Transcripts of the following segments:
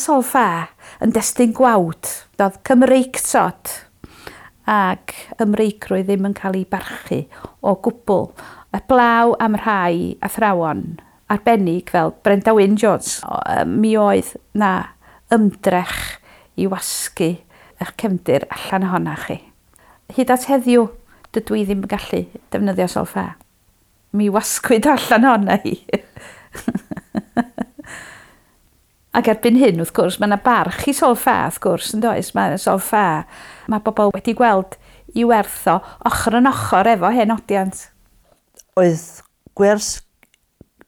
sol-ffa yn destun gwawd. Doedd Cymreictod ac ymreicrwydd ddim yn cael ei barchu o gwbl. Heblaw am rhai athrawon arbennig fel Brenda Wyn Jones. Mi oedd na ymdrech i wasgu eich cefndir allan ohona chi. Hyd at heddiw, dydw i ddim yn gallu defnyddio sol-ffa. Mi wasgwyd allan ohona i. Ac erbyn hyn, wrth gwrs, mae yna barch i sol-ffa, wrth gwrs, yn does? Mae sol-ffa, mae bobl wedi gweld i werth o ochr yn ochr efo hen odiant. Oedd gwers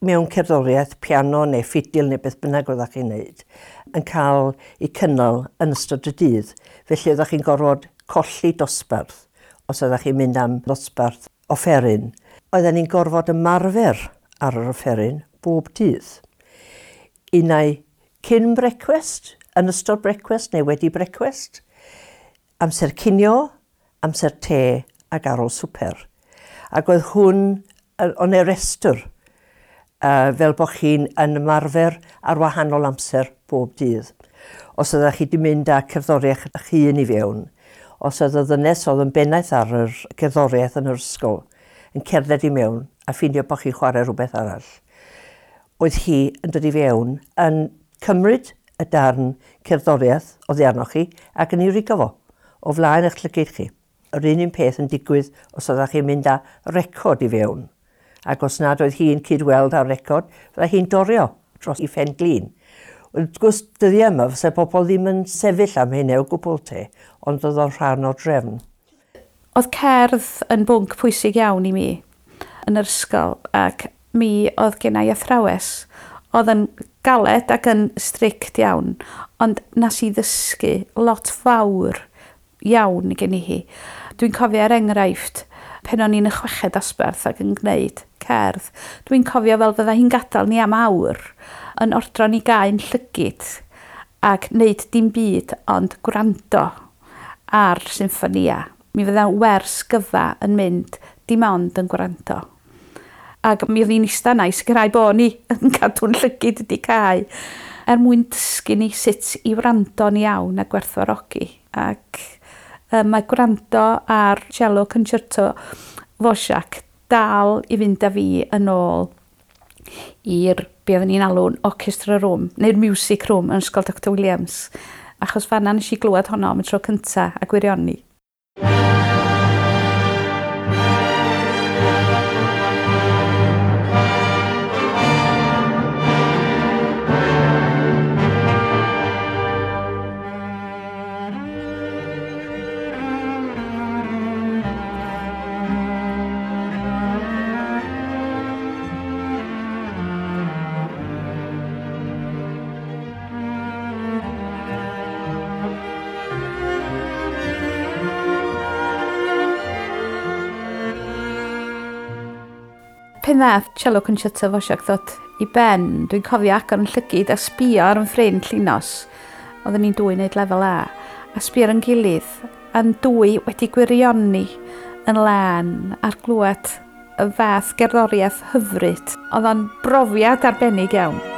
mewn cerddoriaeth, piano neu ffidil neu beth bynnag oeddech chi'n neud, yn cael ei cynnal yn ystod y dydd. Felly oeddech chi'n gorfod colli dosbarth os oeddech chi'n mynd am ddosbarth offeryn. Oedden ni'n gorfod ymarfer ar yr offeryn bob dydd. Unai cyn brecwast, yn ystod brecwast neu wedi brecwast, amser cinio, amser te ac ar ôl swper. Ac oedd hwn o'n ei restr, fel bod chi'n yn ymarfer ar wahanol amser bob dydd. Os oeddech chi wedi mynd â cerddoriaeth eich hun i fewn, os oedd y ddynes oedd yn bennaeth ar yr gerddoriaeth yn yr ysgol yn cerdded i mewn a ffeindio bod chi'n chwarae rhywbeth arall, oedd hi yn dod i fewn yn cymryd y darn cerddoriaeth oddi arnoch chi ac yn ei rigo fo o flaen eich llygaid chi. Yr un peth yn digwydd os oeddech chi'n mynd â record i fewn. Ac os nad oedd hi'n cydweld â'r record, fyddai hi'n dorio dros ei phen glin. Wrth gwrs, dyddiau yma, fysa pobl ddim yn sefyll am hynny o gwbl te, ond oedd o'n rhan o'r drefn. Oedd cerdd yn bwnc pwysig iawn i mi yn yr ysgol, ac mi oedd gen i athrawes oedd yn galed ac yn strict iawn, ond nes i ddysgu lot fawr iawn gen i hi. Dwi'n cofio er enghraifft, pan o'n i'n y chweched dosbarth ac yn gwneud cerdd, dwi'n cofio fel fydda hi'n gadael ni am awr yn ordro ni gau'n llygid ac wneud dim byd ond gwrando ar symffonia. Mi fydda wers gyfa yn mynd dim ond yn gwrando. Ac mi oedd hi'n eistedd yna i sicrhau bod ni yn cadw'n llygid wedi cau er mwyn dysgu ni sut i wrando'n iawn a gwerthfawrogi. Ac mae gwrando ar cello concerto Dvorak dal i fynd â fi yn ôl i'r be oedden ni'n alw'n orchestra room, neu'r music room yn Ysgol Dr Williams. Achos fan'na nes i glywed honno am y tro cynta a gwirioni. Pan ddath cello concerto Dvorak ddod i ben, dwi'n cofio agor yn llygid a sbio ar yn ffrind Llinos. Oedden ni'n dwy wneud lefel A. A sbio ar yn gilydd, a'n dwy wedi gwirioni yn lân ar glwad y fath gerddoriaeth hyfryd. Oedd o'n brofiad arbennig iawn.